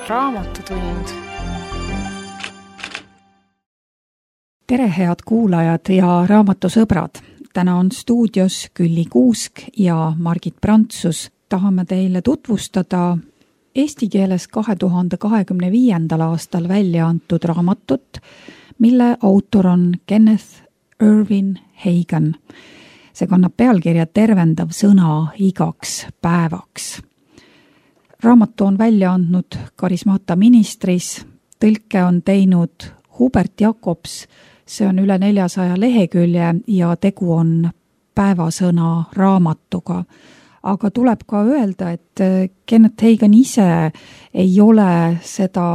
Raamatutund. Tere, head kuulajad ja raamatusõbrad! Täna on stuudios Külli Kuusk ja Margit Prantsus. Tahame teile tutvustada eesti keeles 2025. aastal välja antud raamatut, mille autor on Kenneth Irwin Hagen. See kannab pealkirja Tervendav sõna igaks päevaks. Raamatu on välja andnud Karismata Ministris, tõlke on teinud Hubert Jakobs, see on üle 400 lehekülje ja tegu on päevasõna raamatuga. Aga tuleb ka öelda, et Kenneth Hagen ise ei ole seda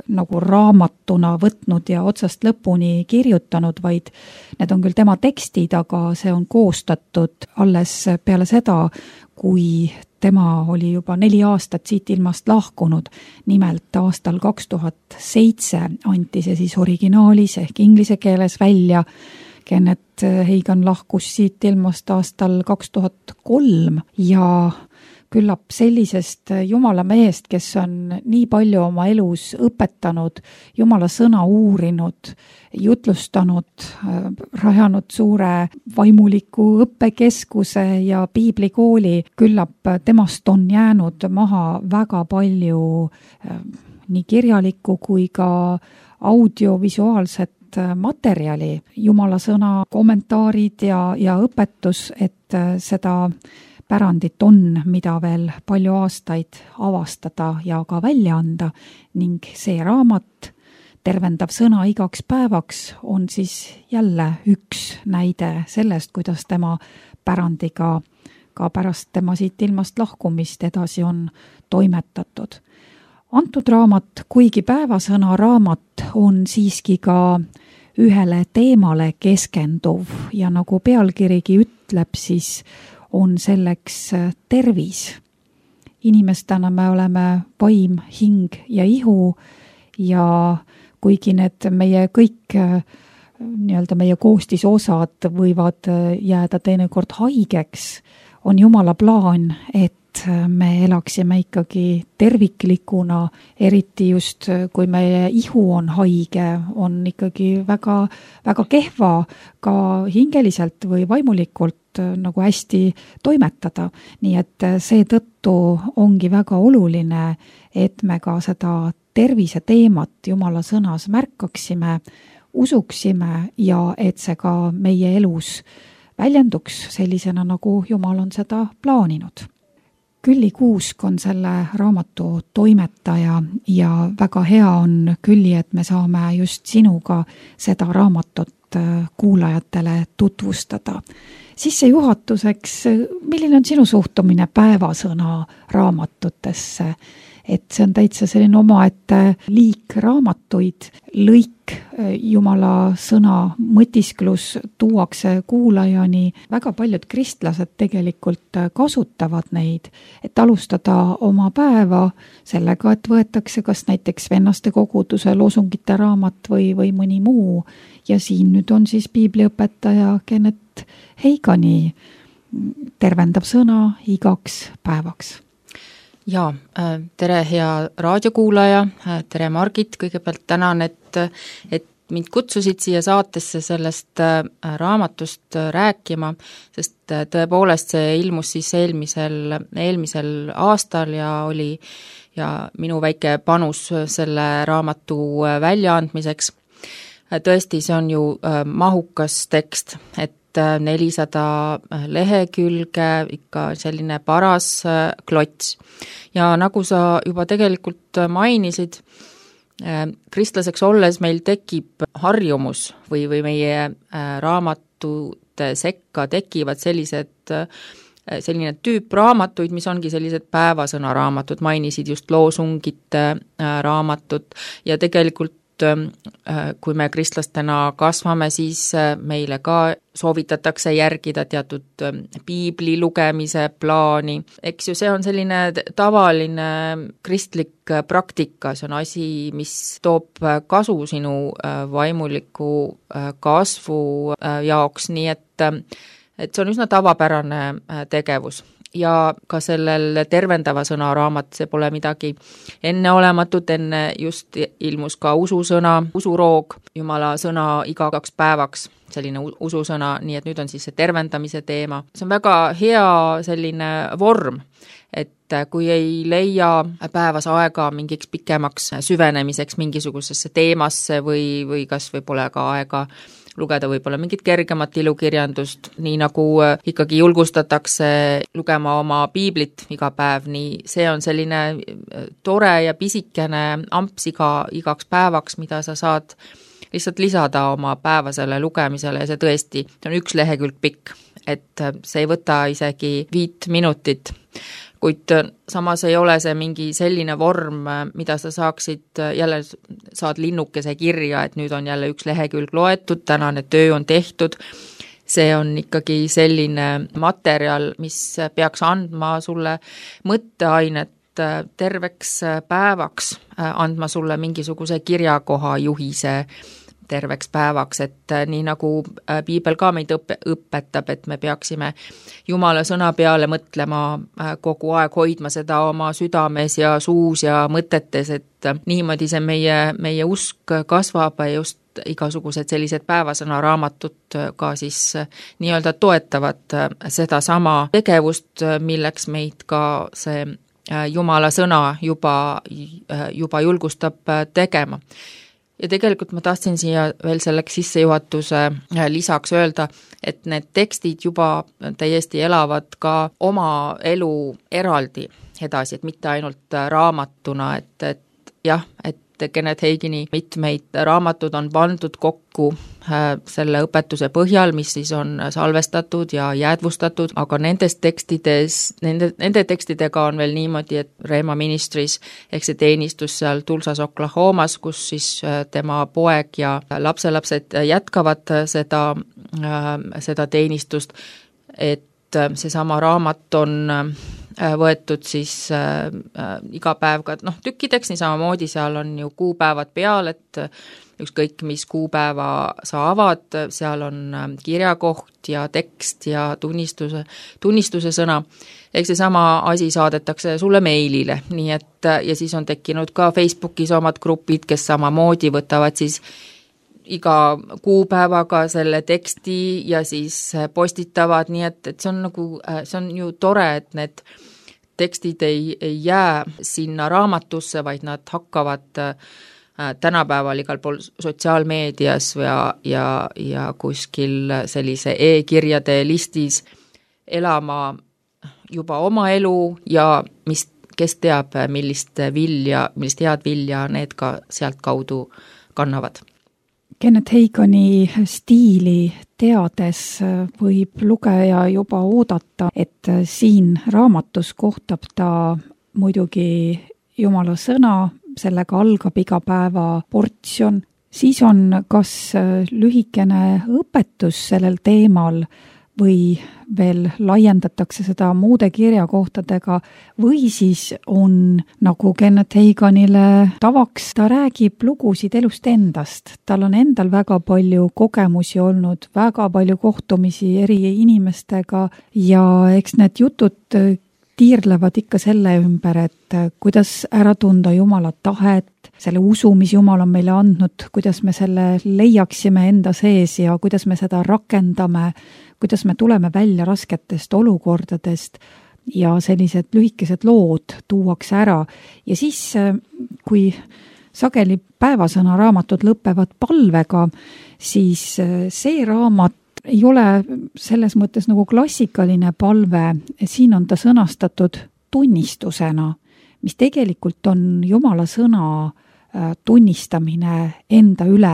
nagu raamatuna võtnud ja otsast lõpuni kirjutanud, vaid need on küll tema tekstid, aga see on koostatud alles peale seda, kui tema oli juba 4 aastat siit ilmast lahkunud. Nimelt aastal 2007 anti see siis originaalis ehk inglise keeles välja. Kenneth Hagen lahkus siit ilmast aastal 2003 ja küllap sellisest Jumala mehest, kes on nii palju oma elus õpetanud, Jumala sõna uurinud, jutlustanud, rajanud suure vaimuliku õppekeskuse ja piiblikooli, küllap temast on jäänud maha väga palju nii kirjalikku kui ka audiovisuaalset materjali, Jumala sõna kommentaarid ja õpetus, et seda pärandit on, mida veel palju aastaid avastada ja ka välja anda ning see raamat, Tervendav sõna igaks päevaks, on siis jälle üks näide sellest, kuidas tema pärandiga ka pärast tema siit ilmast lahkumist edasi on toimetatud. Antud raamat, kuigi päevasõna raamat, on siiski ka ühele teemale keskenduv ja nagu pealkirigi ütleb, siis on selleks tervis. Inimestena me oleme vaim, hing ja ihu ja kuigi need meie kõik nii-öelda meie koostisosad võivad jääda teinekord haigeks, on Jumala plaan, et me elaksime ikkagi terviklikuna, eriti just kui meie ihu on haige, on ikkagi väga, väga kehva ka hingeliselt või vaimulikult nagu hästi toimetada. Nii et seetõttu ongi väga oluline, et me ka seda tervise teemat Jumala sõnas märkaksime, usuksime ja et see ka meie elus väljenduks sellisena, nagu Jumal on seda plaaninud. Külli Kuusk on selle raamatu toimetaja ja väga hea on, Külli, et me saame just sinuga seda raamatut kuulajatele tutvustada. Sissejuhatuseks, milline on sinu suhtumine päevasõna raamatutesse? Et see on täitsa selline omaette liik raamatuid, lõik Jumala sõna mõtisklus tuuakse kuulajani. Väga paljud kristlased tegelikult kasutavad neid, et alustada oma päeva sellega, et võetakse kas näiteks vennaste koguduse loosungite raamat või mõni muu. Ja siin nüüd on siis piibliõpetaja Kenneth Hageni Tervendav sõna igaks päevaks. Ja, tere hea raadiokuulaja, tere Margit, kõigepealt tänan, et mind kutsusid siia saatesse sellest raamatust rääkima, sest tõepoolest see ilmus siis eelmisel aastal ja oli minu väike panus selle raamatu väljaandmiseks. Tõesti, see on ju mahukas tekst, et 400 lehekülge, ikka selline paras klots. Ja nagu sa juba tegelikult mainisid, kristlaseks olles meil tekib harjumus või meie raamatute sekka tekivad selline tüüp raamatuid, mis ongi sellised päevasõna raamatud, mainisid just loosungite raamatut ja tegelikult kui me kristlastena kasvame, siis meile ka soovitatakse järgida teatud piibli lugemise plaani. Eks ju, see on selline tavaline kristlik praktika, see on asi, mis toob kasu sinu vaimuliku kasvu jaoks, nii et see on üsna tavapärane tegevus. ja ka sellel tervendava sõna raamat, see pole midagi enneolematut, enne just ilmus ka ususõna, usuroog, Jumala sõna iga 2 päevaks, selline ususõna, nii et nüüd on siis see tervendamise teema. See on väga hea selline vorm, et kui ei leia päevas aega mingiks pikemaks süvenemiseks mingisugusesse teemasse või kas või pole ka aega lugeda võib-olla mingit kergemat ilukirjandust, nii nagu ikkagi julgustatakse lugema oma piiblit iga päev, nii see on selline tore ja pisikene amps igaks päevaks, mida sa saad lihtsalt lisada oma päevasele lugemisele ja see tõesti on 1 lehekülg pikk, et see ei võta isegi 5 minutit. Kuid samas ei ole see mingi selline vorm, mida sa saaksid, jälle saad linnukese kirja, et nüüd on jälle 1 lehekülg loetud, tänane töö on tehtud. See on ikkagi selline materjal, mis peaks andma sulle mõtteainet terveks päevaks, andma sulle mingisuguse kirjakoha juhise terveks päevaks, et nii nagu piibel ka meid õpetab, et me peaksime Jumala sõna peale mõtlema kogu aeg, hoidma seda oma südames ja suus ja mõtetes, et niimoodi see meie usk kasvab ja just igasugused sellised päevasõnaraamatud ka siis nii-öelda toetavad sedasama tegevust, milleks meid ka see Jumala sõna juba julgustab tegema. Ja tegelikult ma tahtsin siia veel selleks sissejuhatuse lisaks öelda, et need tekstid juba täiesti elavad ka oma elu eraldi edasi, et mitte ainult raamatuna, et jah, et Kenneth Hagini mitmeid raamatud on pandud kokku selle õpetuse põhjal, mis siis on salvestatud ja jäädvustatud, aga nende tekstidega on veel niimoodi, et Rhema Ministries ehk see teenistus seal Tulsas, Oklahomas, kus siis tema poeg ja lapselapsed jätkavad seda teenistust, et seesama raamat on võetud siis iga päev ka tükkideks, nii samamoodi seal on ju kuupäevad peal, et ükskõik mis kuupäeva sa avad, seal on kirjakoht ja tekst ja tunnistuse sõna. Ehk seesama asi saadetakse sulle meilile, nii et ja siis on tekkinud ka Facebookis omad grupid, kes samamoodi võtavad siis iga kuupäevaga selle teksti ja siis postitavad, nii et see on see on ju tore, et need tekstid ei jää sinna raamatusse, vaid nad hakkavad tänapäeval igal pool sotsiaalmeedias ja kuskil sellise e-kirjade listis elama juba oma elu ja kes teab, millist head vilja need ka sealt kaudu kannavad. Kenneth Hagini stiili teades võib lugeja juba oodata, et siin raamatus kohtab ta muidugi Jumala sõna, sellega algab iga päeva portsjon, siis on kas lühikene õpetus sellel teemal või veel laiendatakse seda muude kirjakohtadega või siis on nagu Kenneth Haginile tavaks, ta räägib lugusid elust endast. Tal on endal väga palju kogemusi olnud, väga palju kohtumisi eri inimestega ja eks need jutud tiirlevad ikka selle ümber, et kuidas ära tunda Jumala tahet, selle usu, mis Jumal on meile andnud, kuidas me selle leiaksime enda sees ja kuidas me seda rakendame, kuidas me tuleme välja rasketest olukordadest ja sellised lühikesed lood tuuakse ära. Ja siis, kui sageli päevasõnaraamatud lõpevad palvega, siis see raamat ei ole selles mõttes nagu klassikaline palve, siin on ta sõnastatud tunnistusena, mis tegelikult on Jumala sõna tunnistamine enda üle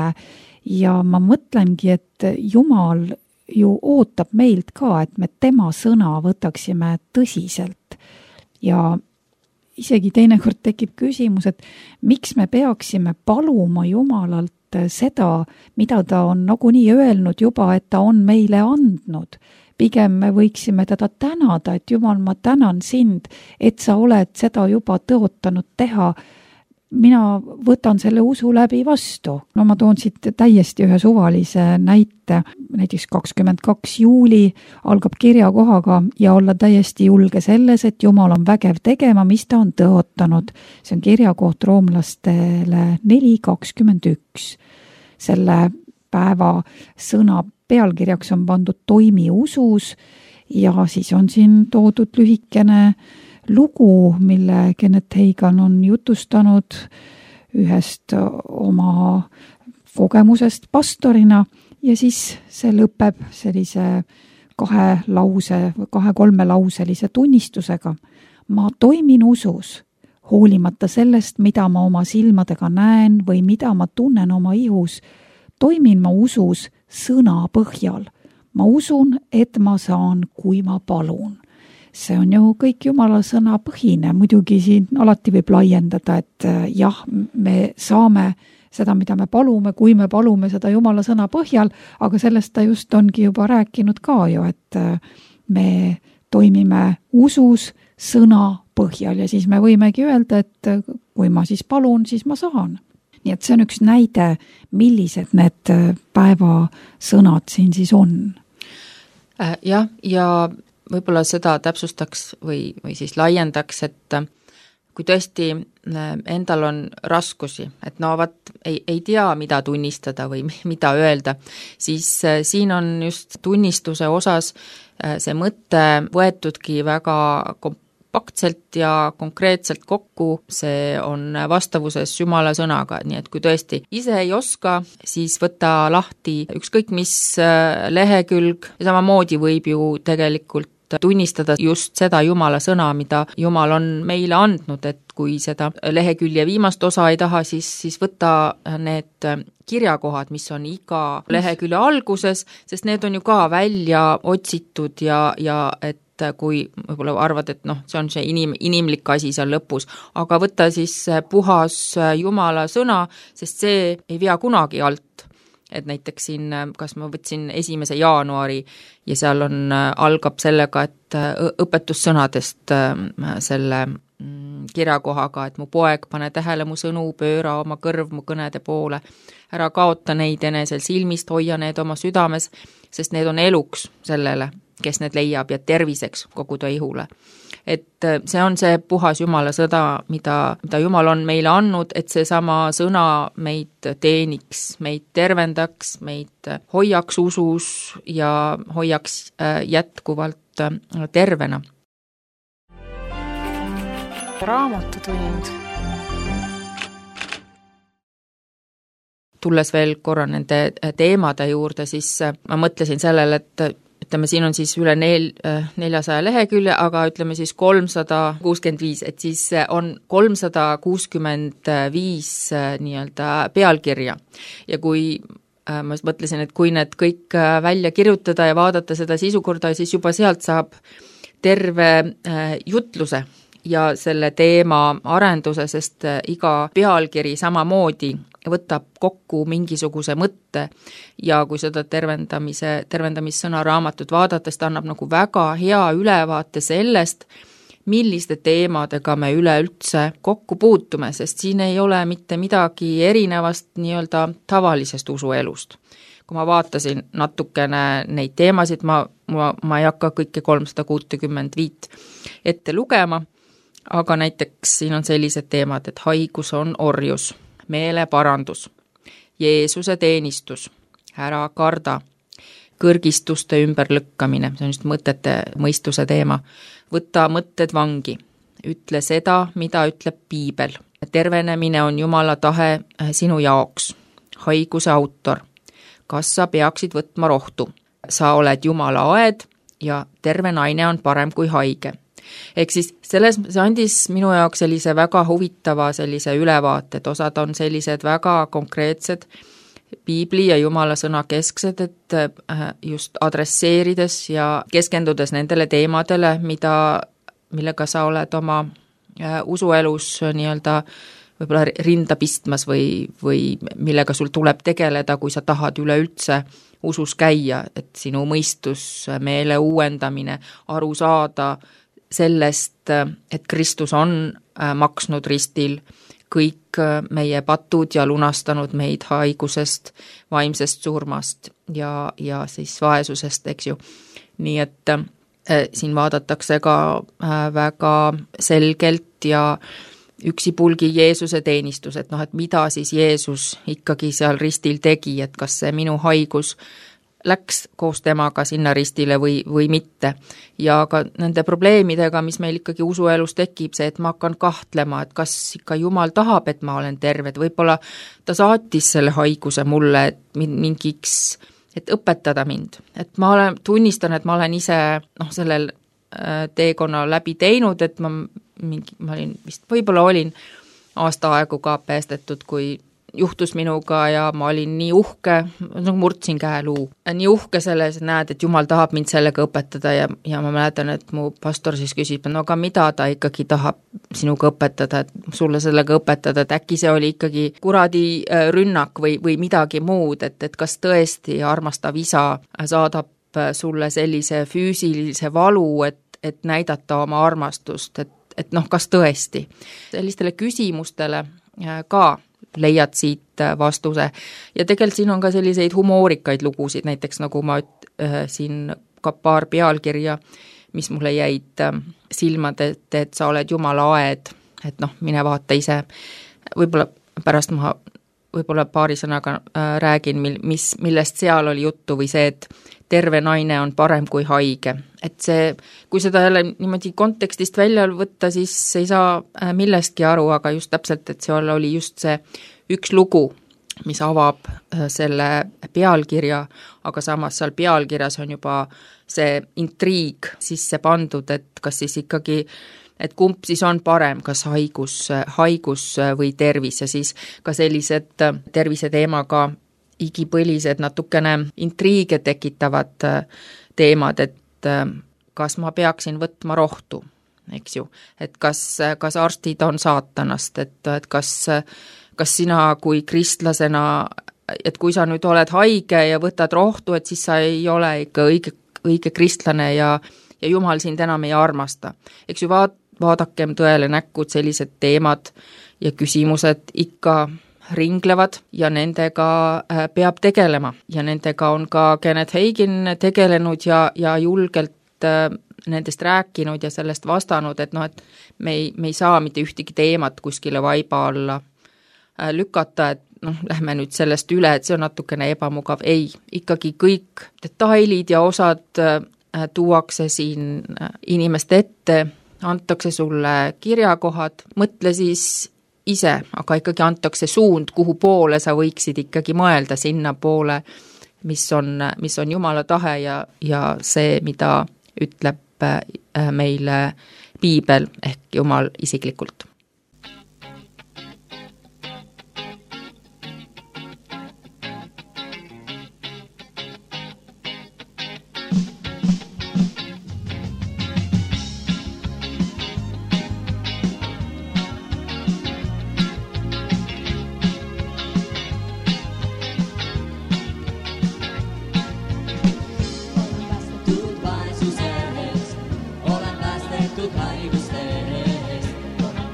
ja ma mõtlengi, et Jumal ju ootab meilt ka, et me tema sõna võtaksime tõsiselt ja isegi teinekord tekib küsimus, et miks me peaksime paluma Jumalalt seda, mida ta on nagunii öelnud juba, et ta on meile andnud. Pigem me võiksime teda tänada, et Jumal, ma tänan sind, et sa oled seda juba tõotanud teha. mina võtan selle usu läbi vastu. No ma toon siit täiesti ühe suvalise näite, näiteks 22. juuli algab kirjakohaga ja olla täiesti julge selles, et Jumal on vägev tegema, mis ta on tõotanud. See on kirjakoht roomlastele 4.21. Selle päeva sõna pealkirjaks on pandud toimi usus ja siis on siin toodud lühikene lugu, mille Kenneth Hagin on jutustanud ühest oma kogemusest pastorina ja siis see lõpeb sellise 2-3 lauselise tunnistusega. Ma toimin usus, hoolimata sellest, mida ma oma silmadega näen või mida ma tunnen oma ihus. Toimin ma usus sõna põhjal. Ma usun, et ma saan, kui ma palun. See on ju kõik Jumala sõna põhine, muidugi siin alati võib laiendada, et jah, me saame seda, mida me palume, kui me palume seda Jumala sõna põhjal, aga sellest ta just ongi juba rääkinud ka ju, et me toimime usus sõna põhjal ja siis me võimegi öelda, et kui ma siis palun, siis ma saan. Nii et see on üks näide, millised need päevasõnad siin siis on. Jah, ja võib-olla seda täpsustaks või siis laiendaks, et kui tõesti endal on raskusi, et no ei tea, mida tunnistada või mida öelda, siis siin on just tunnistuse osas see mõte võetudki väga kompaktselt ja konkreetselt kokku, see on vastavuses Jumala sõnaga, nii et kui tõesti ise ei oska, siis võta lahti ükskõik mis lehekülg, samamoodi võib ju tegelikult tunnistada just seda Jumala sõna, mida Jumal on meile andnud, et kui seda lehekülje viimast osa ei taha, siis võtta need kirjakohad, mis on iga lehekülje alguses, sest need on ju ka välja otsitud ja et kui võib-olla arvad, et see on see inimlik asi seal lõpus, aga võtta siis puhas Jumala sõna, sest see ei vea kunagi alt. Et näiteks siin, kas ma võtsin 1. jaanuari ja seal algab sellega, et õpetussõnadest selle kirjakohaga, et mu poeg, pane tähele mu sõnu, pööra oma kõrv mu kõnede poole, ära kaota neid enesel silmist, hoia need oma südames, sest need on eluks sellele, kes need leiab ja terviseks kogu ta ihule. Et see on see puhas Jumala sõda, mida Jumal on meile andnud, et see sama sõna meid teeniks, meid tervendaks, meid hoiaks usus ja hoiaks jätkuvalt tervena. Raamatutund. Tulles veel korra nende teemade juurde, siis ma mõtlesin sellele, et ütleme, siin on siis üle 400 lehekülje, aga ütleme siis 365, et siis on 365 nii-öelda pealkirja. Ja kui ma mõtlesin, et kui need kõik välja kirjutada ja vaadata seda sisukorda, siis juba sealt saab terve jutluse ja selle teema arenduse, sest iga pealkiri samamoodi võtab kokku mingisuguse mõtte ja kui seda tervendamissõna raamatut vaadates, ta annab nagu väga hea ülevaate sellest, milliste teemadega me üleüldse kokku puutume, sest siin ei ole mitte midagi erinevast nii-öelda tavalisest usuelust. Kui ma vaatasin natukene neid teemasid, ma ei hakka kõike 365 ette lugema, aga näiteks siin on sellised teemad, et haigus on orjus, meeleparandus, Jeesuse teenistus, ära karda, kõrgistuste ümberlükkamine, see on just mõtete mõistuse teema, võta mõtted vangi, ütle seda, mida ütleb piibel, tervenemine on Jumala tahe sinu jaoks, haiguse autor, kas sa peaksid võtma rohtu, sa oled Jumala aed ja terve naine on parem kui haige. Ehk siis see andis minu jaoks sellise väga huvitava sellise ülevaate, et osad on sellised väga konkreetsed piibli ja Jumala sõna kesksed, et just adresseerides ja keskendudes nendele teemadele, millega sa oled oma usuelus nii-öelda võib-olla rinda pistmas või millega sul tuleb tegeleda, kui sa tahad üleüldse usus käia, et sinu mõistus, meele uuendamine, aru saada sellest, et Kristus on maksnud ristil kõik meie patud ja lunastanud meid haigusest, vaimsest surmast ja siis vaesusest, eks ju. Nii et siin vaadatakse ka väga selgelt ja üksipulgi Jeesuse teenistus, et et mida siis Jeesus ikkagi seal ristil tegi, et kas see minu haigus läks koos temaga sinna ristile või mitte. Ja ka nende probleemidega, mis meil ikkagi usuelus tekib, see, et ma hakkan kahtlema, et kas ikka Jumal tahab, et ma olen terve, et võib-olla ta saatis selle haiguse mulle, et mingiks, et õpetada mind. Et ma tunnistan, et ma olen ise sellel teekonna läbi teinud, et ma olin vist, võib-olla olin aasta aegu ka päästetud, kui juhtus minuga ja ma olin nii uhke, murdsin käeluu. Nii uhke selles, näed, et Jumal tahab mind sellega õpetada ja ma mäletan, et mu pastor siis küsib, no aga mida ta ikkagi tahab sinuga õpetada, et sulle sellega õpetada, et äkki see oli ikkagi kuradi rünnak või midagi muud, et kas tõesti armastav isa saadab sulle sellise füüsilise valu, et näidata oma armastust, et kas tõesti. Sellistele küsimustele ka leiad siit vastuse. Ja tegelikult siin on ka selliseid humoorikaid lugusid, näiteks nagu ma siin ka paar pealkirja, mis mulle jäid silmad, et sa oled Jumala aed, et mine vaata ise. Võib-olla pärast ma paari sõnaga räägin, millest seal oli juttu või see, et terve naine on parem kui haige. Et see, kui seda jälle niimoodi kontekstist välja võtta, siis ei saa millestki aru, aga just täpselt, et see oli just see üks lugu, mis avab selle pealkirja, aga samas seal pealkirjas on juba see intriig sisse pandud, et kas siis ikkagi, et kumb siis on parem, kas haigus või tervis ja siis ka sellised tervise teemaga igipõlised natukene intriige tekitavad teemad, et kas ma peaksin võtma rohtu, eks ju, et kas arstid on saatanast, et kas sina kui kristlasena, et kui sa nüüd oled haige ja võtad rohtu, et siis sa ei ole ikka õige kristlane ja Jumal sind enam ei armasta. Eks ju, vaadakem tõele näkku, sellised teemad ja küsimused ikka ringlevad ja nendega peab tegelema ja nendega on ka Kenneth Hagin tegelenud ja julgelt nendest rääkinud ja sellest vastanud, et et me ei saa mitte ühtegi teemat kuskile vaiba alla lükata, et lähme nüüd sellest üle, et see on natukene ebamugav. Ei, ikkagi kõik detailid ja osad tuuakse siin inimeste ette, antakse sulle kirjakohad, mõtle siis ise, aga ikkagi antakse suund, kuhu poole sa võiksid ikkagi mõelda sinna poole, mis on Jumala tahe ja see, mida ütleb meile piibel ehk Jumal isiklikult. Olen päästetud haiguste eest, olen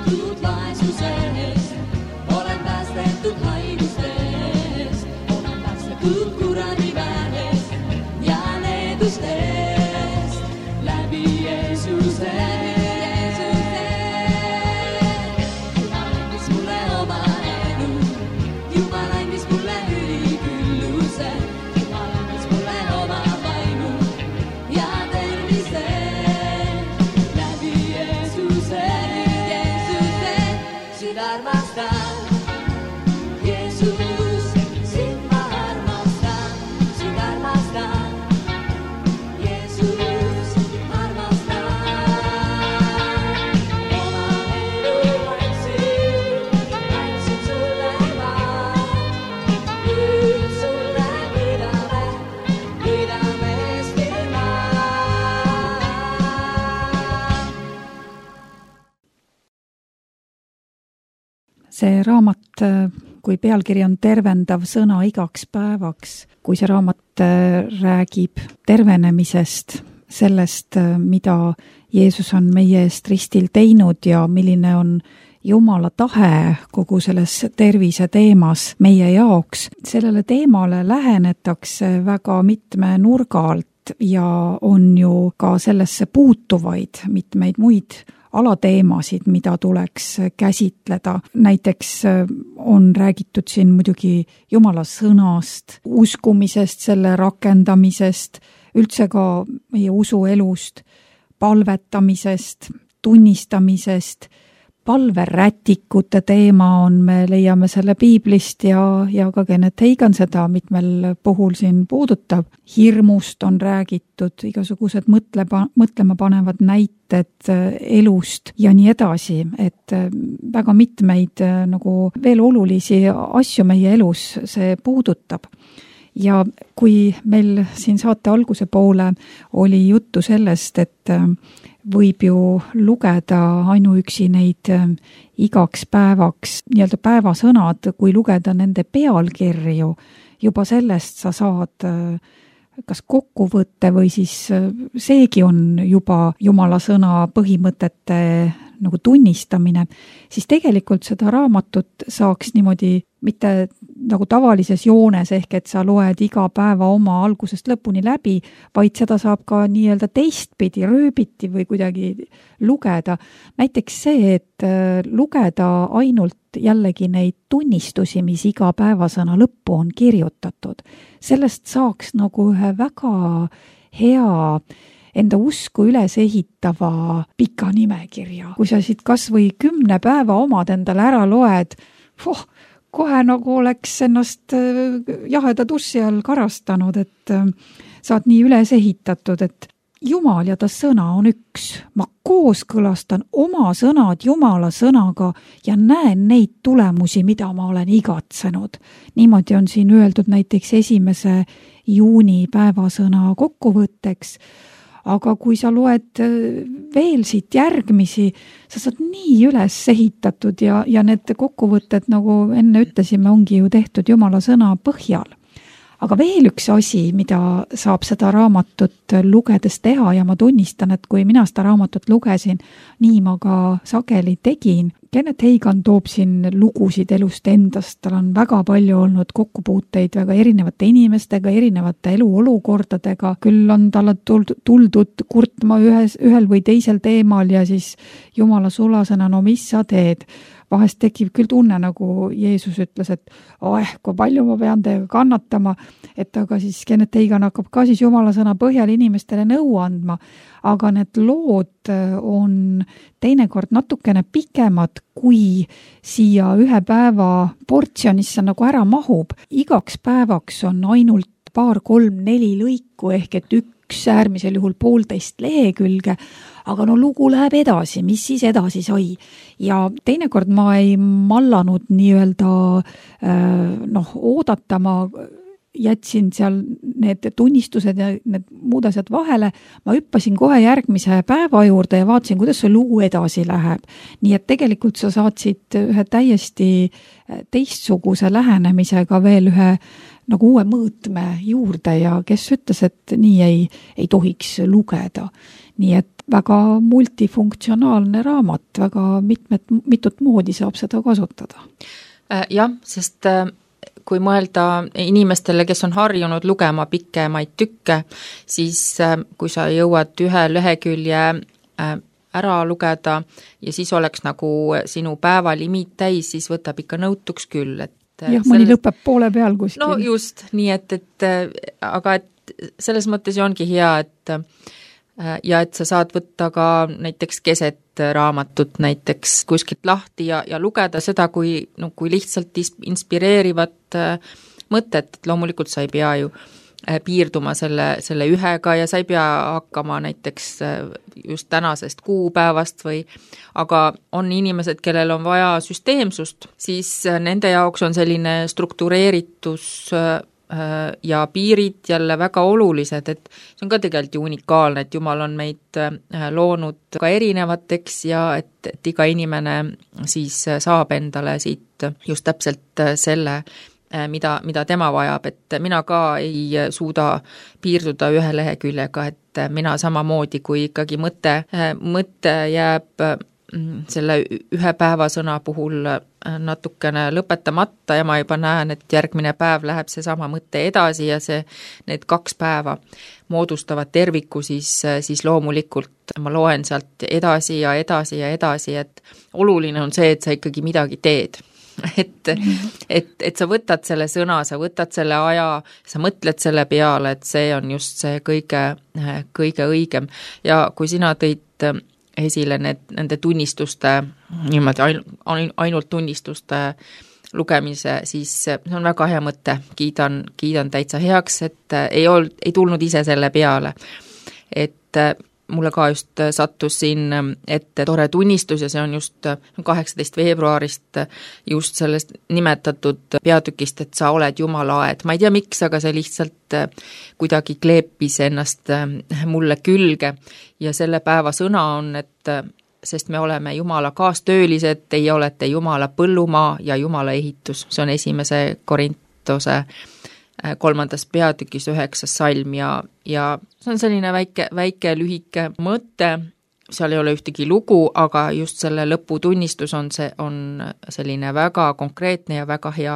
päästetud vaesusest, olen päästetud haigustest, olen päästetud kuradi väärest ja needustest läbi Jeesuse. Jumal andis mulle oma elu, Jumal andis mulle ülikülluse, Jumal andis mulle oma vaimu ja tervise läbi Jeesuse. Sind armastan, Jeesus, sind ma armastan, sind armastan, Jeesus, armastan. Oma elu andsin sulle ma, nüüd sulle pidamest ilma. See raamat, kui pealkiri on tervendav sõna igaks päevaks, kui see raamat räägib tervenemisest, sellest, mida Jeesus on meie eest ristil teinud ja milline on Jumala tahe kogu selles tervise teemas meie jaoks. Sellele teemale lähenetakse väga mitme nurga alt ja on ju ka sellesse puutuvaid mitmeid muid alateemasid, mida tuleks käsitleda. Näiteks on räägitud siin muidugi Jumala sõnast, uskumisest, selle rakendamisest, üldse ka meie usuelust, palvetamisest, tunnistamisest, palverätikute teema on, me leiame selle piiblist ja ka Kenneth Hagin seda mitmel puhul siin puudutab. Hirmust on räägitud, igasugused mõtlema panevad näited elust ja nii edasi, et väga mitmeid nagu veel olulisi asju meie elus see puudutab. Ja kui meil siin saate alguse poole oli juttu sellest, et võib ju lugeda ainuüksi neid igaks päevaks nii-öelda päevasõnad, kui lugeda nende pealkirju, juba sellest sa saad kas kokkuvõtte või siis seegi on juba Jumala sõna põhimõtete nagu tunnistamine, siis tegelikult seda raamatut saaks niimoodi mitte nagu tavalises joones, ehk et sa loed iga päeva oma algusest lõpuni läbi, vaid seda saab ka nii-öelda teistpidi, rööbiti või kuidagi lugeda. Näiteks see, et lugeda ainult jällegi neid tunnistusi, mis iga päevasõna lõppu on kirjutatud. Sellest saaks nagu ühe väga hea enda usku üles ehitava pika nimekirja. Kui sa siit kas või 10 päeva omad endale ära loed, kohe nagu oleks ennast jaheda tussi all karastanud, et saad nii üles ehitatud, et Jumal ja ta sõna on üks. Ma kooskõlastan oma sõnad Jumala sõnaga ja näen neid tulemusi, mida ma olen igatsenud. Niimoodi on siin öeldud näiteks 1. juuni päevasõna kokkuvõtteks. Aga kui sa loed veel siit järgmisi, sa saad nii üles ehitatud ja need kokkuvõtted, nagu enne ütlesime, ongi ju tehtud Jumala sõna põhjal. Aga veel üks asi, mida saab seda raamatut lugedes teha ja ma tunnistan, et kui mina seda raamatut lugesin, nii ma ka sageli tegin. Kenneth Hagin toob siin lugusid elust endast, tal on väga palju olnud kokkupuuteid väga erinevate inimestega, erinevate eluolukordadega, küll on talle tuldud kurtma ühel või teisel teemal ja siis Jumala sulasena, no mis sa teed? Vahest tekib küll tunne, nagu Jeesus ütles, et kui palju ma pean teiega kannatama, et aga siis Kenneth Hagin hakkab ka siis Jumala sõna põhjal inimestele nõu andma, aga need lood on teinekord natukene pikemad, kui siia ühe päeva portsjonisse nagu ära mahub. Igaks päevaks on ainult 2, 3, 4 lõiku ehk et üks äärmisel juhul 1,5 lehekülge, aga no lugu läheb edasi, mis siis edasi sai. Ja teinekord ma ei mallanud nii-öelda oodata, ma jätsin seal need tunnistused ja need muud asjad vahele, ma hüppasin kohe järgmise päeva juurde ja vaatasin, kuidas see lugu edasi läheb. Nii et tegelikult sa saatsid ühe täiesti teistsuguse lähenemisega veel ühe nagu uue mõõtme juurde ja kes ütles, et nii ei tohiks lugeda. Nii et väga multifunktsionaalne raamat, väga mitut moodi saab seda kasutada. Jah, sest kui mõelda inimestele, kes on harjunud lugema pikemaid tükke, siis kui sa jõuad ühe lehekülje ära lugeda ja siis oleks nagu sinu päevalimiit täis, siis võtab ikka nõutuks küll. Jah, mõni lõpeb poole peal kuskil. No just, nii aga selles mõttes ju ongi hea, et sa saad võtta ka näiteks keset raamatut näiteks kuskilt lahti ja lugeda seda kui lihtsalt inspireerivat mõtet, et loomulikult sa ei pea ju piirduma selle ühega ja sa ei pea hakkama näiteks just tänasest kuupäevast aga on inimesed, kellel on vaja süsteemsust, siis nende jaoks on selline struktureeritus ja piirid jälle väga olulised, et see on ka tegelikult ju unikaalne, et Jumal on meid loonud ka erinevateks ja et iga inimene siis saab endale siit just täpselt selle, mida tema vajab, et mina ka ei suuda piirduda ühe leheküljega, et mina samamoodi, kui ikkagi mõte jääb selle ühe päevasõna puhul natukene lõpetamata ja ma juba näen, et järgmine päev läheb see sama mõte edasi ja need 2 päeva moodustavad terviku, siis loomulikult ma loen sealt edasi ja edasi ja edasi, et oluline on see, et sa ikkagi midagi teed. Et sa võtad selle sõna, sa võtad selle aja, sa mõtled selle peale, et see on just see kõige õigem. Ja kui sina tõid esile nende tunnistuste, niimoodi ainult tunnistuste lugemise, siis see on väga hea mõte, kiidan täitsa heaks, et ei tulnud ise selle peale. Et mulle ka just sattus siin ette tore tunnistus ja see on just 18. veebruarist just sellest nimetatud peatükist, et sa oled Jumala aed. Ma ei tea miks, aga see lihtsalt kuidagi kleepis ennast mulle külge ja selle päeva sõna on, et sest me oleme Jumala kaastöölised, teie olete Jumala põllumaa ja Jumala ehitus. See on 1. Korintuse 3. peatükis 9. salm ja see on selline väike lühike mõte, seal ei ole ühtegi lugu, aga just selle lõputunnistus on selline väga konkreetne ja väga hea.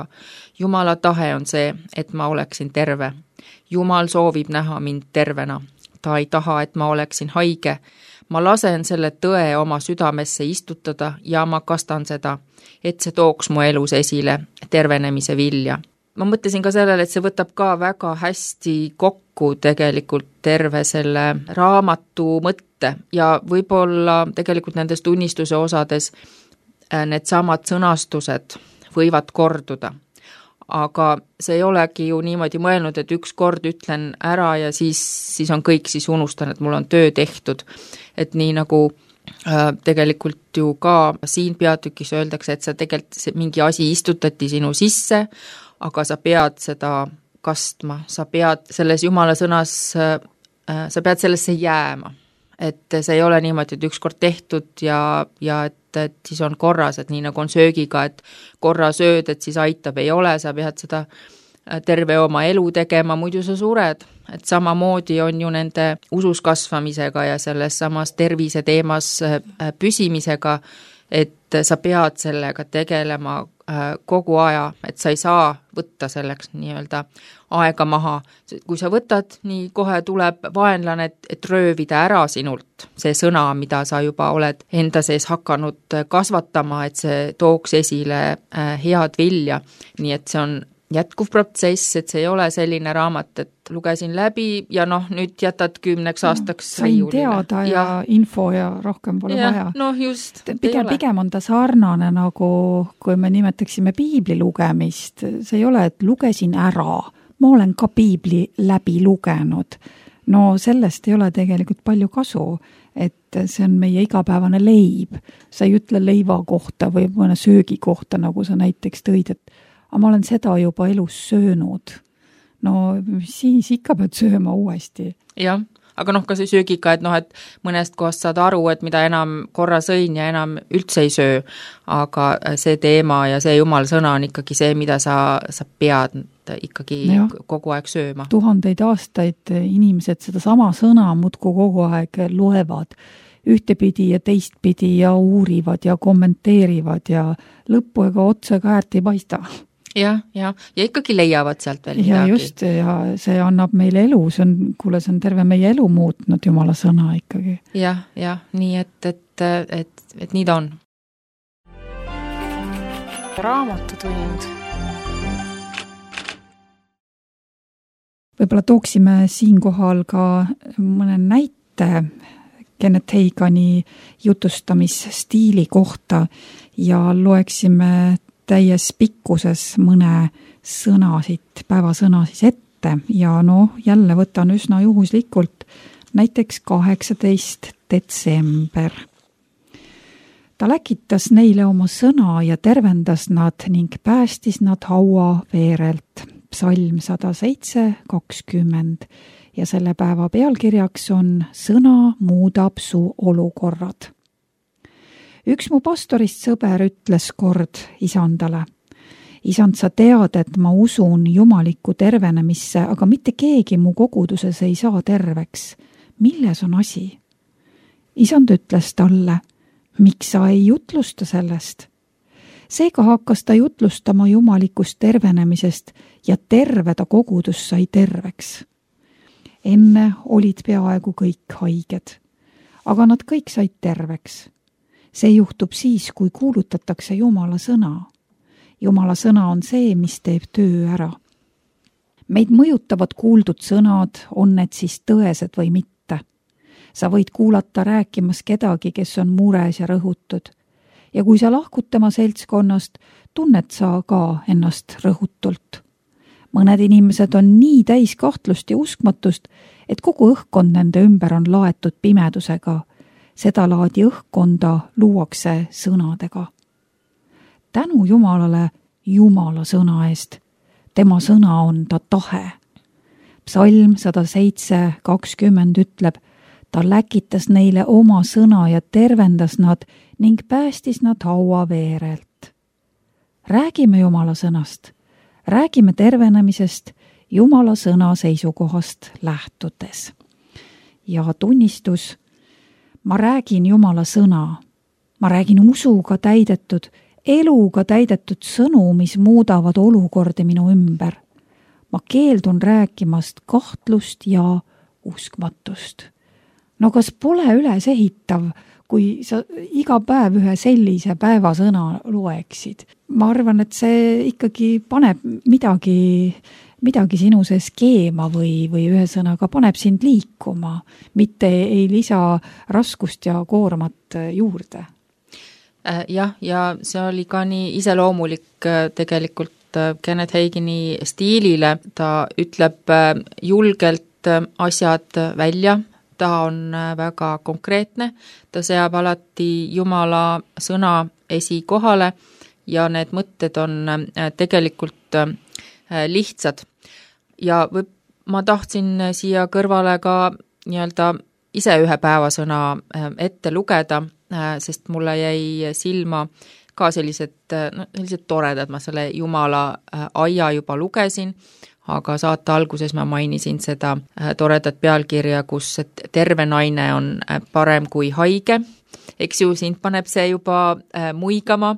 Jumala tahe on see, et ma oleksin terve. Jumal soovib näha mind tervena. Ta ei taha, et ma oleksin haige. Ma lasen selle tõe oma südamesse istutada ja ma kastan seda, et see tooks mu elus esile tervenemise vilja. Ma mõtlesin ka sellele, et see võtab ka väga hästi kokku tegelikult terve selle raamatu mõtte ja võib-olla tegelikult nendes tunnistuse osades need samad sõnastused võivad korduda. Aga see ei olegi ju niimoodi mõelnud, et üks kord ütlen ära ja siis on kõik, siis unustan, et mul on töö tehtud. Et nii nagu tegelikult ju ka siin peatükis öeldakse, et sa tegelikult mingi asi istutati sinu sisse, aga sa pead seda kastma, sa pead selles Jumala sõnas, sa pead sellesse jääma. Et see ei ole niimoodi, et ükskord tehtud ja et siis on korras, et nii nagu on söögiga, et korra sööd, et siis aitab, ei ole, sa pead seda terve oma elu tegema, muidu sa sured. Et samamoodi on ju nende usus kasvamisega ja selles samas tervise teemas püsimisega, et sa pead sellega tegelema kogu aja, et sa ei saa võtta selleks nii-öelda aega maha. Kui sa võtad, nii kohe tuleb vaenlane, et röövida ära sinult see sõna, mida sa juba oled enda sees hakanud kasvatama, et see tooks esile head vilja. Nii et see on jätkuv protsess, et see ei ole selline raamat, et lugesin läbi ja nüüd jätad 10 aastaks sain teada ja info ja rohkem pole vaja. No just, pigem on ta sarnane nagu, kui me nimetaksime piibli lugemist, see ei ole, et lugesin ära, ma olen ka piibli läbi lugenud. No sellest ei ole tegelikult palju kasu, et see on meie igapäevane leib. Sa ei ütle leiva kohta või mõne söögi kohta, nagu sa näiteks tõid, et aga ma olen seda juba elus söönud. No siis ikka pead sööma uuesti. Jah, aga ka see söögiga, et et mõnest kohast saad aru, et mida enam korra sõin ja enam üldse ei söö, aga see teema ja see Jumala sõna on ikkagi see, mida sa pead ikkagi kogu aeg sööma. Tuhandeid aastaid inimesed seda sama sõna muudkui kogu aeg loevad ühtepidi ja teistpidi ja uurivad ja kommenteerivad ja lõppu ega otsa kärt ei paista. Ja ikkagi leiavad sealt veel midagi. Ja just, ja see annab meile elu, see on terve meie elu muutnud Jumala sõna ikkagi. Ja, nii et nii ta on. Raamatutund. Võib-olla tooksime siinkohal ka mõne näite Kenneth Hagini jutustamisstiili kohta ja loeksime täies pikkuses mõne päevasõna ette ja jälle võtan üsna juhuslikult näiteks 18. detsember. Ta läkitas neile oma sõna ja tervendas nad ning päästis nad haua veerelt. Psalm 107:20 ja selle päeva pealkirjaks on Sõna muudab su olukorrad. Üks mu pastorist sõber ütles kord isandale: Isand, sa tead, et ma usun jumalikku tervenemisse, aga mitte keegi mu koguduses ei saa terveks. Milles on asi? Isand ütles talle: miks sa ei jutlusta sellest? Seega hakkas ta jutlustama jumalikust tervenemisest ja terve ta kogudus sai terveks. Enne olid peaaegu kõik haiged, aga nad kõik said terveks. See juhtub siis, kui kuulutatakse Jumala sõna. Jumala sõna on see, mis teeb töö ära. Meid mõjutavad kuuldud sõnad, on need siis tõesed või mitte. Sa võid kuulata rääkimas kedagi, kes on mures ja rõhutud. Ja kui sa lahkud tema seltskonnast, tunned sa ka ennast rõhutult. Mõned inimesed on nii täis kahtlust ja uskmatust, et kogu õhkkond nende ümber on laetud pimedusega. Seda laadi õhkkonda luuakse sõnadega. Tänu Jumalale Jumala sõna eest. Tema sõna on ta tahe. Psalm 107:20 ütleb: ta läkitas neile oma sõna ja tervendas nad ning päästis nad haua veerelt. Räägime Jumala sõnast. Räägime tervenemisest Jumala sõna seisukohast lähtudes. Ja tunnistus: ma räägin Jumala sõna. Ma räägin usuga täidetud, eluga täidetud sõnu, mis muudavad olukordi minu ümber. Ma keeldun rääkimast kahtlust ja uskmatust. Kas pole ülesehitav, kui sa iga päev ühe sellise päevasõna loeksid? Ma arvan, et see ikkagi paneb midagi sinu see skeema või ühesõnaga paneb sind liikuma, mitte ei lisa raskust ja koormat juurde. Ja see oli ka nii iseloomulik tegelikult Kenneth Hagini stiilile. Ta ütleb julgelt asjad välja, ta on väga konkreetne, ta seab alati Jumala sõna esikohale ja need mõtted on tegelikult lihtsad. Ja ma tahtsin siia kõrvale ka ise ühe päevasõna ette lugeda, sest mulle jäi silma ka sellised toredad, ma selle Jumala aia juba lugesin, aga saate alguses ma mainisin seda toredat pealkirja, kus terve naine on parem kui haige. Eks ju, sind paneb see juba muigama.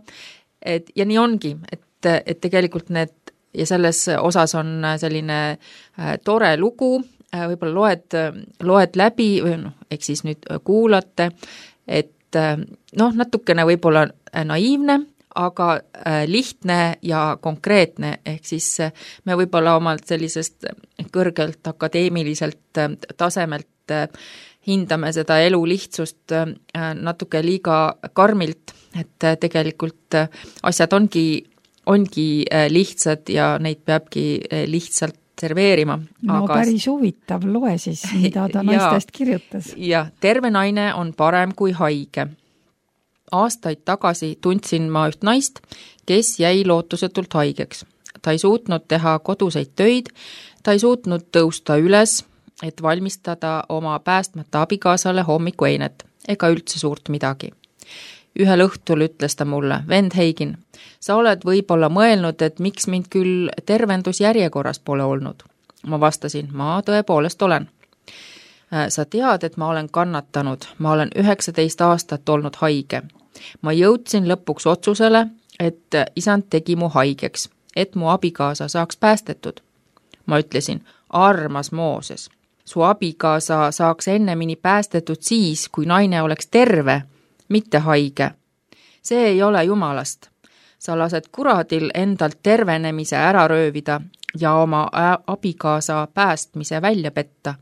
Ja nii ongi, et tegelikult need, ja selles osas on selline tore lugu, võib-olla loed läbi, või eks siis nüüd kuulate, et natukene võib-olla naiivne, aga lihtne ja konkreetne, ehk siis me võib-olla omalt sellisest kõrgelt akadeemiliselt tasemelt hindame seda elu lihtsust natuke liiga karmilt, et tegelikult asjad ongi lihtsad ja neid peabki lihtsalt serveerima. Päris huvitav, loe siis, mida ta naistest kirjutas. Ja terve naine on parem kui haige. Aastaid tagasi tundsin ma üht naist, kes jäi lootusetult haigeks. Ta ei suutnud teha koduseid töid, ta ei suutnud tõusta üles, et valmistada oma päästmata abikaasale hommikueinet, ega üldse suurt midagi. Ühel õhtul ütles ta mulle, vend Heigin, sa oled võib-olla mõelnud, et miks mind küll tervendusjärjekorras pole olnud. Ma vastasin, ma tõepoolest olen. Sa tead, et ma olen kannatanud, ma olen 19 aastat olnud haige. Ma jõudsin lõpuks otsusele, et isand tegi mu haigeks, et mu abikaasa saaks päästetud. Ma ütlesin, armas Mooses, su abikaasa saaks ennemini päästetud siis, kui naine oleks terve, mitte haige. See ei ole Jumalast. Sa lased kuradil endalt tervenemise ära röövida ja oma abikaasa päästmise välja petta.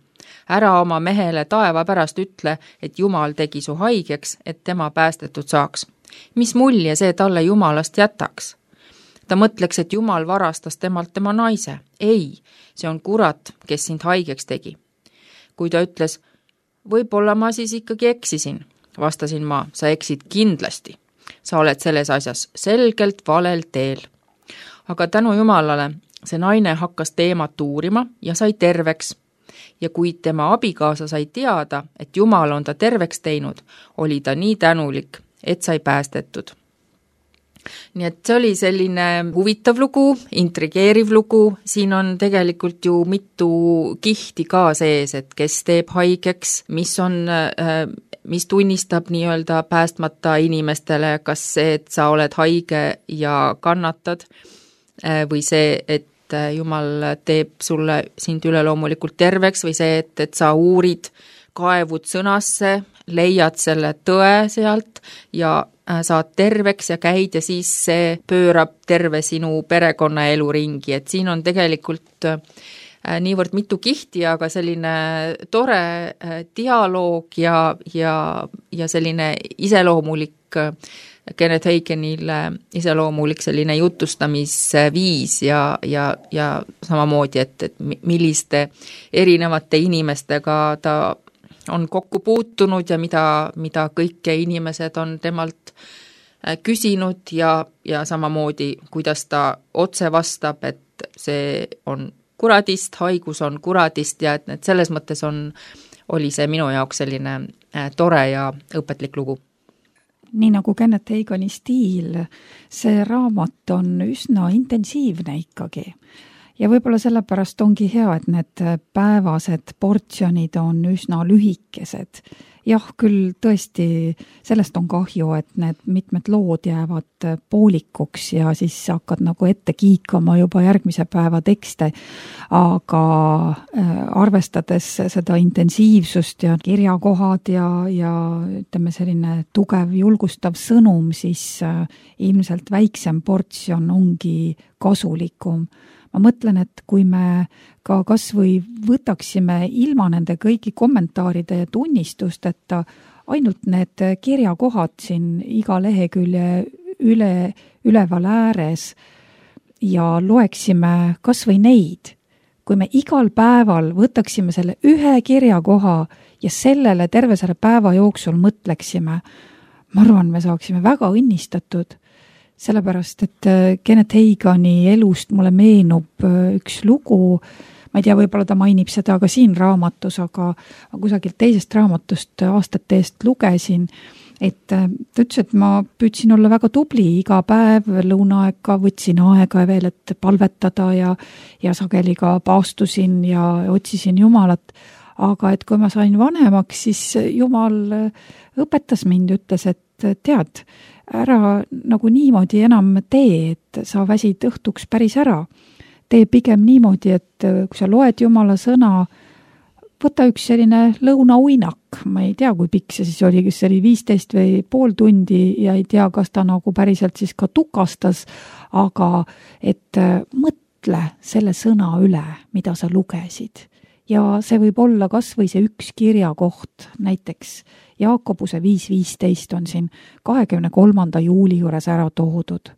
Ära oma mehele taeva pärast ütle, et Jumal tegi su haigeks, et tema päästetud saaks. Mis mulje see talle Jumalast jätaks? Ta mõtleks, et Jumal varastas temalt tema naise. Ei, see on kurat, kes sind haigeks tegi. Kui ta ütles, võib-olla ma siis ikkagi eksisin, vastasin ma, sa eksid kindlasti. Sa oled selles asjas selgelt valel teel. Aga tänu Jumalale see naine hakkas teemat uurima ja sai terveks. Ja kui tema abikaasa sai teada, et Jumal on ta terveks teinud, oli ta nii tänulik, et sai päästetud. Nii et see oli selline huvitav lugu, intrigeeriv lugu, siin on tegelikult ju mitu kihti ka sees, et kes teeb haigeks, mis tunnistab nii-öelda päästmata inimestele, kas see, et sa oled haige ja kannatad, või see, et Jumal teeb sulle sind üleloomulikult terveks, või see, et sa uurid, kaevud sõnasse, leiad selle tõe sealt ja saad terveks ja käid ja siis see pöörab terve sinu perekonna elu ringi, et siin on tegelikult niivõrd mitu kihti, aga selline tore dialoog ja selline iseloomulik Kenneth Heigenile iseloomulik selline jutustamisviis ja samamoodi, et milliste erinevate inimestega ta on kokku puutunud ja mida kõike inimesed on temalt küsinud ja samamoodi, kuidas ta otse vastab, et see on kuradist, haigus on kuradist ja et selles mõttes oli see minu jaoks selline tore ja õpetlik lugu. Nii nagu Kenneth Heigeni stiil, see raamat on üsna intensiivne ikkagi. Ja võib-olla sellepärast ongi hea, et need päevased portsjonid on üsna lühikesed. Jah, küll tõesti sellest on kahju, et need mitmed lood jäävad poolikuks ja siis hakkad nagu ette kiikama juba järgmise päeva tekste, aga arvestades seda intensiivsust ja kirjakohad ja ütleme selline tugev julgustav sõnum, siis ilmselt väiksem portsjon ongi kasulikum. Ma mõtlen, et kui me ka kas või võtaksime ilma nende kõigi kommentaaride ja tunnistusteta ainult need kirjakohad siin iga lehekülje üleval ääres ja loeksime kas või neid, kui me igal päeval võtaksime selle ühe kirjakoha ja sellele terve selle päeva jooksul mõtleksime, ma arvan, me saaksime väga õnnistatud. Sellepärast, et Kenneth Heigeni elust mulle meenub üks lugu, ma ei tea, võib-olla ta mainib seda ka siin raamatus, aga kusagilt teisest raamatust aastate eest lugesin, et ta ütles, et ma püüdsin olla väga tubli iga päev lõunaaega, võtsin aega veel, et palvetada ja sageli ka paastusin ja otsisin Jumalat, aga et kui ma sain vanemaks, siis Jumal õpetas mind, ütles, et tead, ära nagu niimoodi enam tee, et sa väsid õhtuks päris ära. Tee pigem niimoodi, et kui sa loed Jumala sõna, võta üks selline lõunauinak. Ma ei tea, kui pikk see siis oli, kas see oli 15 või pool tundi ja ei tea, kas ta nagu päriselt siis ka tukastas, aga et mõtle selle sõna üle, mida sa lugesid. Ja see võib olla kas või see üks kirjakoht, näiteks Jaakobuse 5.15 on siin 23. juuli juures ära toodud.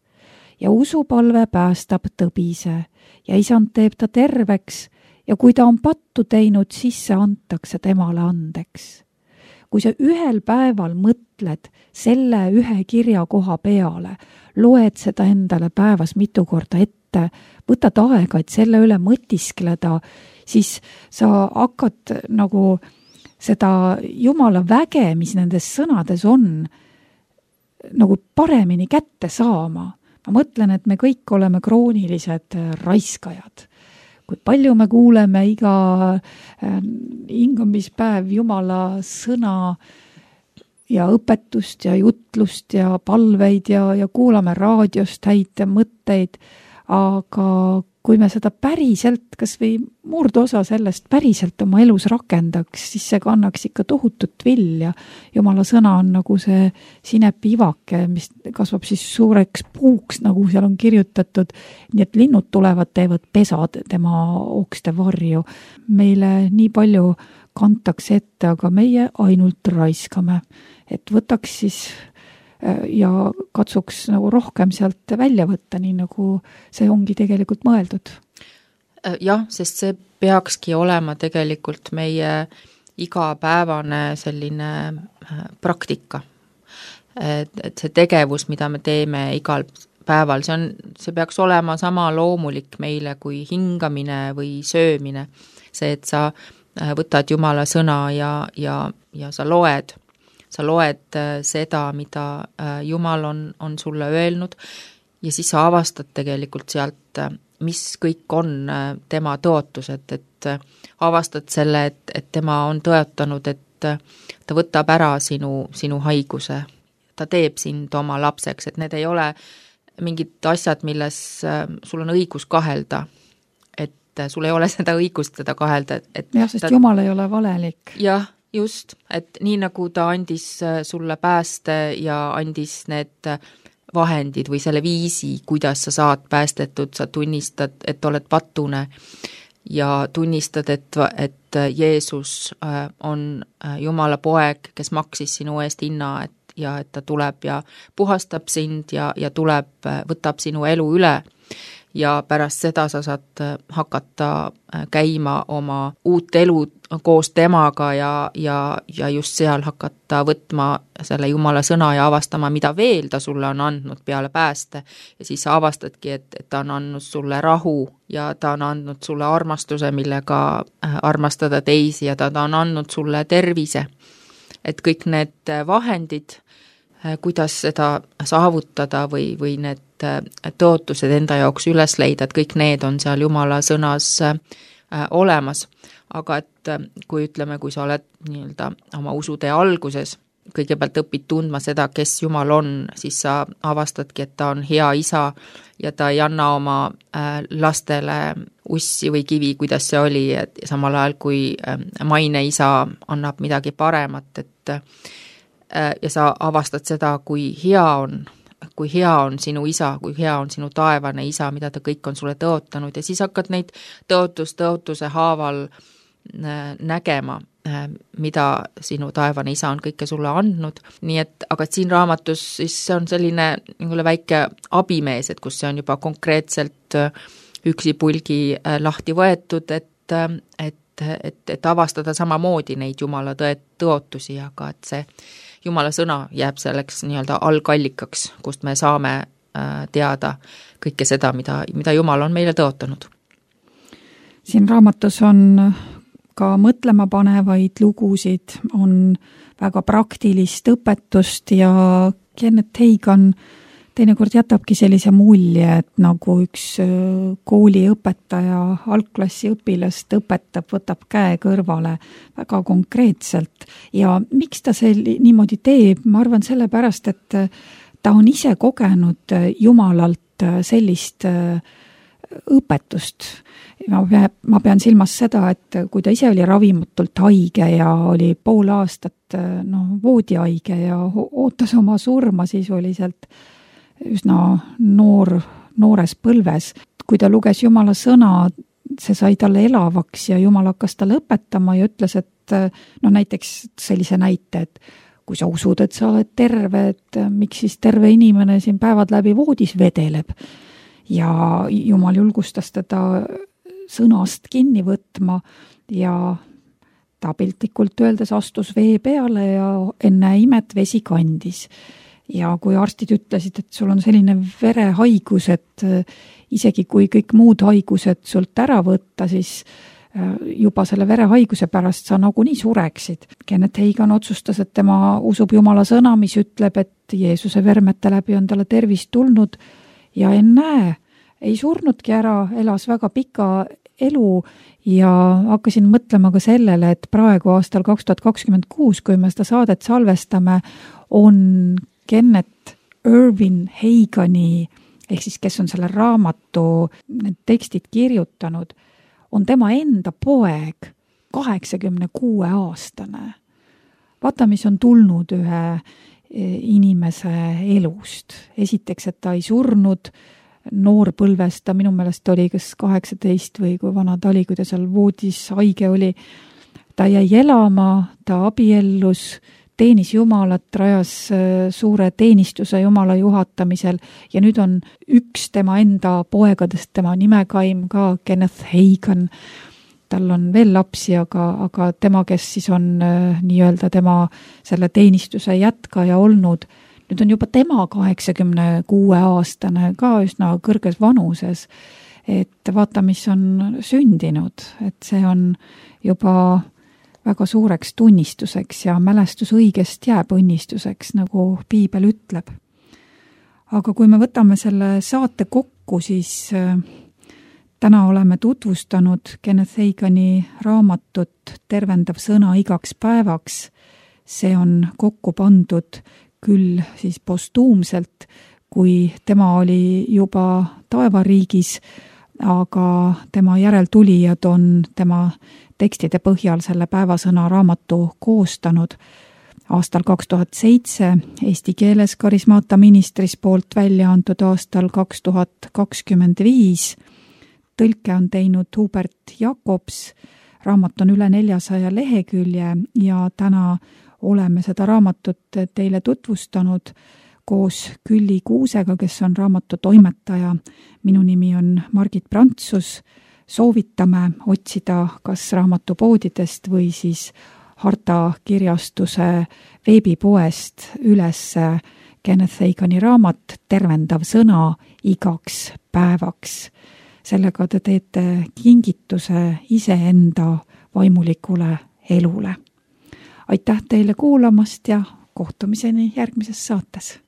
Ja usupalve päästab tõbise ja isand teeb ta terveks ja kui ta on pattu teinud, siis see antakse temale andeks. Kui sa ühel päeval mõtled selle ühe kirjakoha peale, loed seda endale päevas mitu korda ette ette, võtad aega, et selle üle mõtiskleda, siis sa hakkad nagu seda Jumala väge, mis nendes sõnades on, nagu paremini kätte saama. Ma mõtlen, et me kõik oleme kroonilised raiskajad. Kui palju me kuuleme iga hingamispäev Jumala sõna ja õpetust ja jutlust ja palveid ja kuulame raadiost häid mõtteid, aga kui me seda päriselt, kas või murdosa sellest päriselt oma elus rakendaks, siis see kannaks ikka tohutut vilja. Jumala sõna on nagu see sinepiivake, mis kasvab siis suureks puuks, nagu seal on kirjutatud, nii et linnud tulevad, teevad pesad tema okste varju. Meile nii palju kantakse ette, aga meie ainult raiskame. Et võtaks siis ja katsuks nagu rohkem sealt välja võtta, nii nagu see ongi tegelikult mõeldud. Jah, sest see peakski olema tegelikult meie igapäevane selline praktika. Et see tegevus, mida me teeme igal päeval, see peaks olema sama loomulik meile kui hingamine või söömine. See, et sa võtad Jumala sõna ja sa loed seda, mida Jumal on sulle öelnud ja siis sa avastad tegelikult sealt, mis kõik on tema tõotused, et avastad selle, et tema on tõotanud, et ta võtab ära sinu haiguse, ta teeb sind oma lapseks, et need ei ole mingid asjad, milles sul on õigus kahelda, et sul ei ole seda õigust seda kahelda. Jah, sest Jumal ei ole valelik. Jah, just, et nii nagu ta andis sulle pääste ja andis need vahendid või selle viisi, kuidas sa saad päästetud, sa tunnistad, et oled patune ja tunnistad, et Jeesus on Jumala poeg, kes maksis sinu eest hinna, ja et ta tuleb ja puhastab sind ja tuleb, võtab sinu elu üle. Ja pärast seda sa saad hakata käima oma uut elu koos temaga ja just seal hakata võtma selle Jumala sõna ja avastama, mida veel ta sulle on andnud peale pääste. Ja siis sa avastadki, et ta on andnud sulle rahu ja ta on andnud sulle armastuse, millega armastada teisi ja ta on andnud sulle tervise. Et kõik need vahendid, kuidas seda saavutada või need tõotused enda jaoks üles leida, et kõik need on seal Jumala sõnas olemas. Aga et kui ütleme, kui sa oled nii-öelda oma usutee alguses, kõigepealt õpid tundma seda, kes Jumal on, siis sa avastadki, et ta on hea isa ja ta ei anna oma lastele ussi või kivi, kuidas see oli, et samal ajal kui maine isa annab midagi paremat, et ja sa avastad seda, kui hea on sinu isa, kui hea on sinu taevane isa, mida ta kõik on sulle tõotanud ja siis hakkad neid tõotuse haaval nägema, mida sinu taevane isa on kõike sulle andnud. Nii et, aga siin raamatus siis see on selline väike abimees, et kus see on juba konkreetselt üksipulgi lahti võetud, et avastada samamoodi neid Jumala tõotusi, aga et see Jumala sõna jääb selleks nii-öelda algallikaks, kust me saame teada kõike seda, mida Jumal on meile tõotanud. Siin raamatus on ka mõtlema panevaid lugusid, on väga praktilist õpetust ja Kenneth Hagan teinekord jätabki sellise mulje, et nagu üks kooliõpetaja algklassi õpilast õpetab, võtab käe kõrvale väga konkreetselt. Ja miks ta niimoodi teeb? Ma arvan sellepärast, et ta on ise kogenud Jumalalt sellist õpetust. Ma pean silmas seda, et kui ta ise oli ravimatult haige ja oli pool aastat voodihaige ja ootas oma surma sisuliselt üsna noores põlves. Kui ta luges Jumala sõna, see sai talle elavaks ja Jumal hakkas talle õpetama ja ütles, et näiteks sellise näite, et kui sa usud, et sa oled terve, et miks siis terve inimene siin päevad läbi voodis vedeleb. Ja Jumal julgustas teda sõnast kinni võtma ja ta piltlikult öeldes astus vee peale ja enne imet vesi kandis. ja kui arstid ütlesid, et sul on selline verehaigus, et isegi kui kõik muud haigused sult ära võtta, siis juba selle verehaiguse pärast sa nagunii sureksid. Kenneth Hagin otsustas, et tema usub Jumala sõna, mis ütleb, et Jeesuse vermete läbi on talle tervist tulnud ja ennäe, ei surnudki ära, elas väga pika elu ja hakkasin mõtlema ka sellele, et praegu aastal 2026, kui me seda saadet salvestame, on Kenneth Irwin Hagini, ehk siis kes on selle raamatu need tekstid kirjutanud, on tema enda poeg, 86-aastane. Vaata, mis on tulnud ühe inimese elust. Esiteks, et ta ei surnud noorpõlvest, ta minu meelest oli kas 18 või kui vana ta oli, kui ta seal voodis haige oli. Ta jäi elama, ta abiellus, teenis Jumalat, rajas suure teenistuse Jumala juhatamisel ja nüüd on üks tema enda poegadest, tema nimekaim ka Kenneth Hagin. Tal on veel lapsi, aga tema, kes siis on nii-öelda tema selle teenistuse jätkaja olnud, nüüd on juba tema 86-aastane, ka üsna kõrges vanuses. Et vaata, mis on sündinud, et see on juba väga suureks tunnistuseks ja mälestus õigest jääb õnnistuseks, nagu piibel ütleb. Aga kui me võtame selle saate kokku, siis täna oleme tutvustanud Kenneth Hagini raamatut Tervendav sõna igaks päevaks. See on kokku pandud küll siis postuumselt, kui tema oli juba taevariigis, aga tema järeltulijad on tema tekstide põhjal selle päevasõna raamatu koostanud. Aastal 2007 eesti keeles Karismaata ministris poolt välja antud aastal 2025. Tõlke on teinud Hubert Jakobs, raamat on üle 400 lehekülje ja täna oleme seda raamatut teile tutvustanud koos Külli Kuusega, kes on raamatu toimetaja. Minu nimi on Margit Prantsus. Soovitame otsida kas raamatupoodidest või siis Harta kirjastuse veebipoest üles Kenneth Hagini raamat Tervendav sõna igaks päevaks. Sellega te teete kingituse iseenda vaimulikule elule. Aitäh teile kuulamast ja kohtumiseni järgmises saates.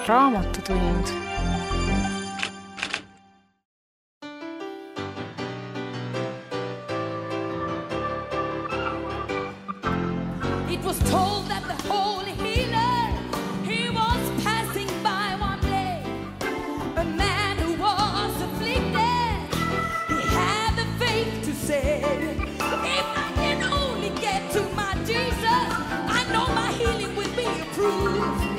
Raamatutund. It was told that the holy healer, he was passing by one day. A man who was afflicted, he had the faith to say, if I can only get to my Jesus, I know my healing will be approved.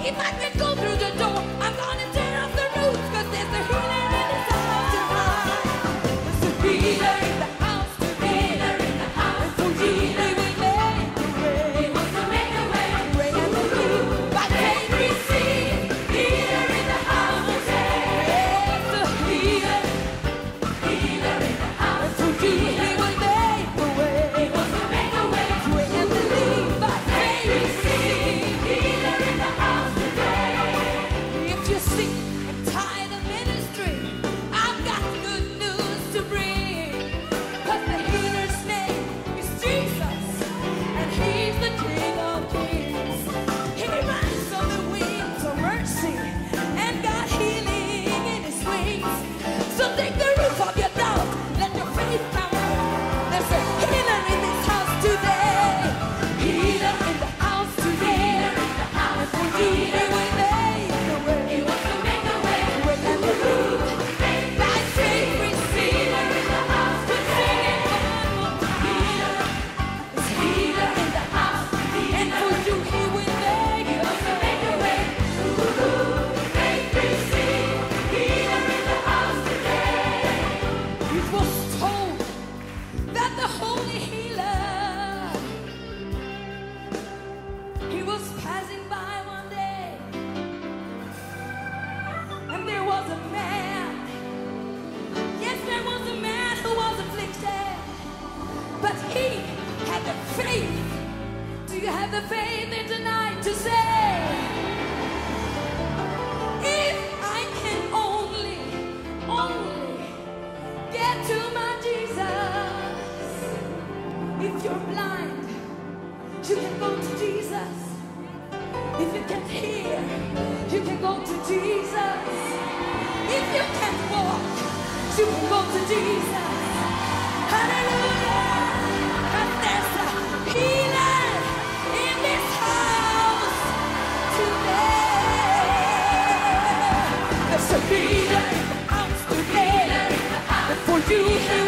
If I can go through the door, I'm gonna tear off the roots, 'cause there's a healer in this house tonight. There's a healer in the house tonight. Healer in the house. And so healer will make a way. He wants to make you can go to Jesus. Hallelujah. And there's a healing in this house today. There's a healing in the house today. For you.